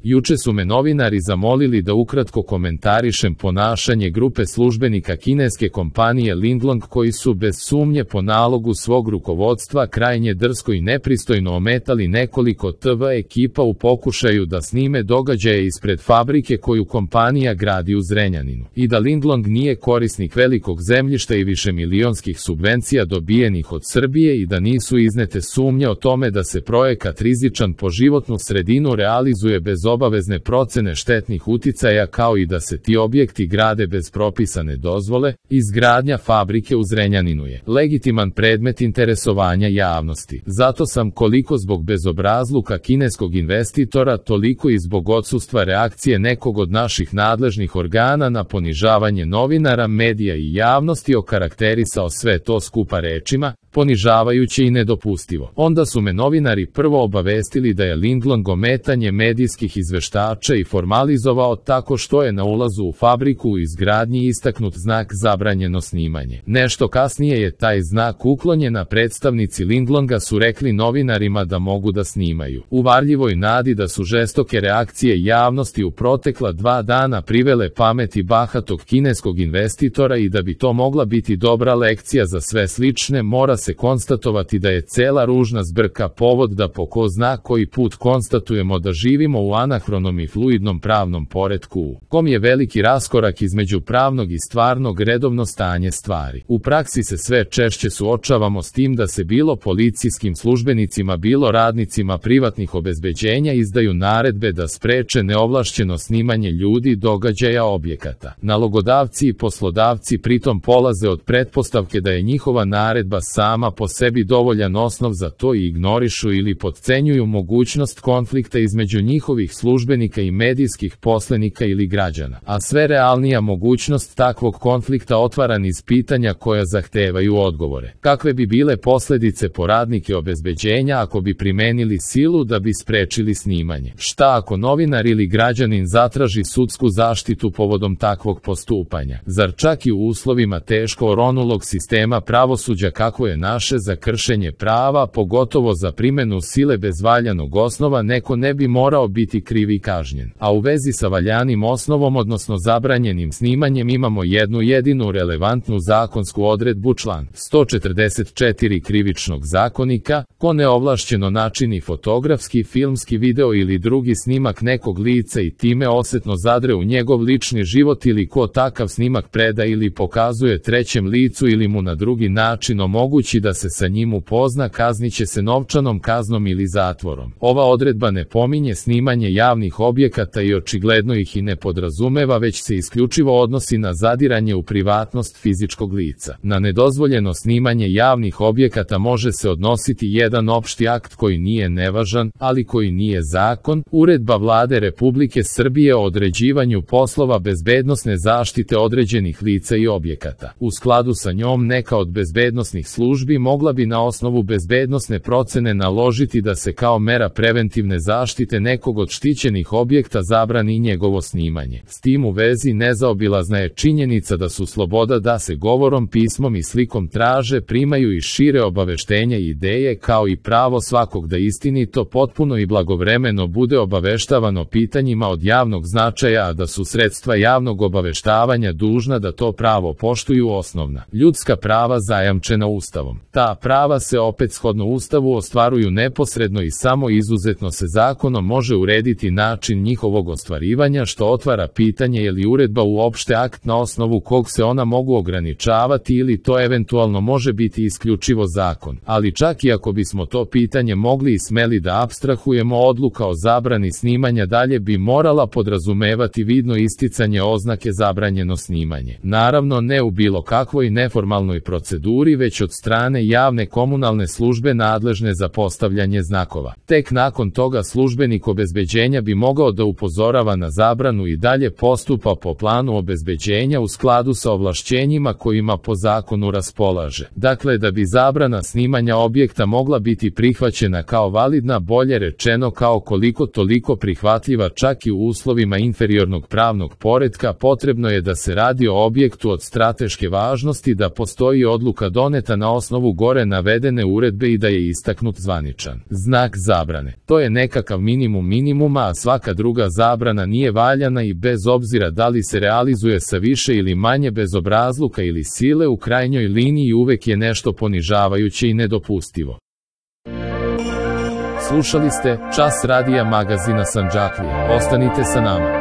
Juče su me novinari zamolili da ukratko komentarišem ponašanje grupe službenika kineske kompanije Lindlong koji su bez sumnje po nalogu svog rukovodstva krajnje drsko i nepristojno ometali nekoliko TV ekipa u pokušaju da snime događaje ispred fabrike koju kompanija gradi u Zrenjaninu. I da Lindlong nije korisnik velikog zemljišta i višemilionskih subvencija dobijenih od Srbije i da nisu iznete sumnje o tome da se projekat rizičan po životnu sredinu realizuje bez obavezne procene štetnih uticaja kao i da se ti objekti grade bez propisane dozvole, izgradnja fabrike u Zrenjaninu je legitiman predmet interesovanja javnosti. Zato sam koliko zbog bezobrazluka kineskog investitora, toliko i zbog odsustva reakcije nekog od naših nadležnih organa na ponižavanje novinara, medija i javnosti okarakterisao sve to skupa rečima, ponižavajuće i nedopustivo. Onda su me novinari prvo obavestili da je Lindlong ometanje medijskih izveštača i formalizovao tako što je na ulazu u fabriku u izgradnji istaknut znak zabranjeno snimanje. Nešto kasnije je taj znak uklonjen, a predstavnici Lindlonga su rekli novinarima da mogu da snimaju. U varljivoj nadi da su žestoke reakcije javnosti u protekla 2 dana privele pameti bahatog kineskog investitora i da bi to mogla biti dobra lekcija za sve slične, mora se konstatovati da je cela ružna zbrka povod da po ko zna koji put konstatujemo da živimo u anahronom i fluidnom pravnom poretku u kom je veliki raskorak između pravnog i stvarnog redovno stanje stvari. U praksi se sve češće suočavamo s tim da se bilo policijskim službenicima, bilo radnicima privatnih obezbeđenja izdaju naredbe da spreče neovlašćeno snimanje ljudi, događaja, objekata. Nalogodavci i poslodavci pritom polaze od pretpostavke da je njihova naredba sama po sebi dovoljan osnov za to i ignorišu ili potcenjuju mogućnost konflikta između njihovih službenika i medijskih poslenika ili građana. A sve realnija mogućnost takvog konflikta otvara niz pitanja koja zahtevaju odgovore. Kakve bi bile posledice po radnike obezbeđenja ako bi primenili silu da bi sprečili snimanje? Šta ako novinar ili građanin zatraži sudsku zaštitu povodom takvog postupanja? Zar čak i u uslovima teško oronulog sistema pravosuđa kako je naše za kršenje prava, pogotovo za primenu sile bez valjanog osnova, neko ne bi morao biti kriv i kažnjen? A u vezi sa valjanim osnovom, odnosno zabranjenim snimanjem, imamo jednu jedinu relevantnu zakonsku odredbu, član 144 Krivičnog zakonika: ko neovlašćeno načini fotografski, filmski, video ili drugi snimak nekog lica i time osetno zadre u njegov lični život ili ko takav snimak preda ili pokazuje trećem licu ili mu na drugi način omogući da se sa njim upozna, kazniće se novčanom kaznom ili zatvorom. Ova odredba ne pominje snimanje javnih objekata i očigledno ih i ne podrazumeva, već se isključivo odnosi na zadiranje u privatnost fizičkog lica. Na nedozvoljeno snimanje javnih objekata može se odnositi jedan opšti akt koji nije nevažan, ali koji nije zakon, Uredba Vlade Republike Srbije o određivanju poslova bezbednosne zaštite određenih lica i objekata. U skladu sa njom neka od bezbednosnih službi mogla bi na osnovu bezbednosne procene naložiti da se kao mera preventivne zaštite nekog od štićenih objekta zabrani njegovo snimanje. S tim u vezi nezaobilazna je činjenica da su sloboda da se govorom, pismom i slikom traže, primaju i šire obaveštenja i ideje, kao i pravo svakog da istinito, potpuno i blagovremeno bude obaveštavano pitanjima od javnog značaja, a da su sredstva javnog obaveštavanja dužna da to pravo poštuju osnovna ljudska prava zajamčena Ustavom. Ta prava se opet shodno Ustavu ostvaruju neposredno i samo izuzetno se zakonom može urediti način njihovog ostvarivanja, što otvara pitanje je li uredba uopšte akt na osnovu kog se ona mogu ograničavati ili to eventualno može biti isključivo zakon. Ali čak i ako bismo to pitanje mogli i smeli da apstrahujemo, odluka o zabrani snimanja dalje bi morala podrazumevati vidno isticanje oznake zabranjeno snimanje. Naravno ne u bilo kakvoj neformalnoj proceduri, već od strane javne komunalne službe nadležne za postavljanje znakova. Tek nakon toga službenik obezbeđenja bi mogao da upozorava na zabranu i dalje postupa po planu obezbeđenja u skladu sa ovlašćenjima kojima po zakonu raspolaže. Dakle, da bi zabrana snimanja objekta mogla biti prihvaćena kao validna, bolje rečeno kao koliko toliko prihvatljiva čak i u uslovima inferiornog pravnog poretka, potrebno je da se radi o objektu od strateške važnosti, da postoji odluka doneta na osnovu gore navedene uredbe i da je istaknut zvaničan znak zabrane. To je nekakav minimum minimuma, a svaka druga zabrana nije valjana i bez obzira da li se realizuje sa više ili manje bezobrazluka ili sile, u krajnjoj liniji uvek je nešto ponižavajuće i nedopustivo. Slušali ste Čas radija magazina Sandžaklija. Ostanite sa nama.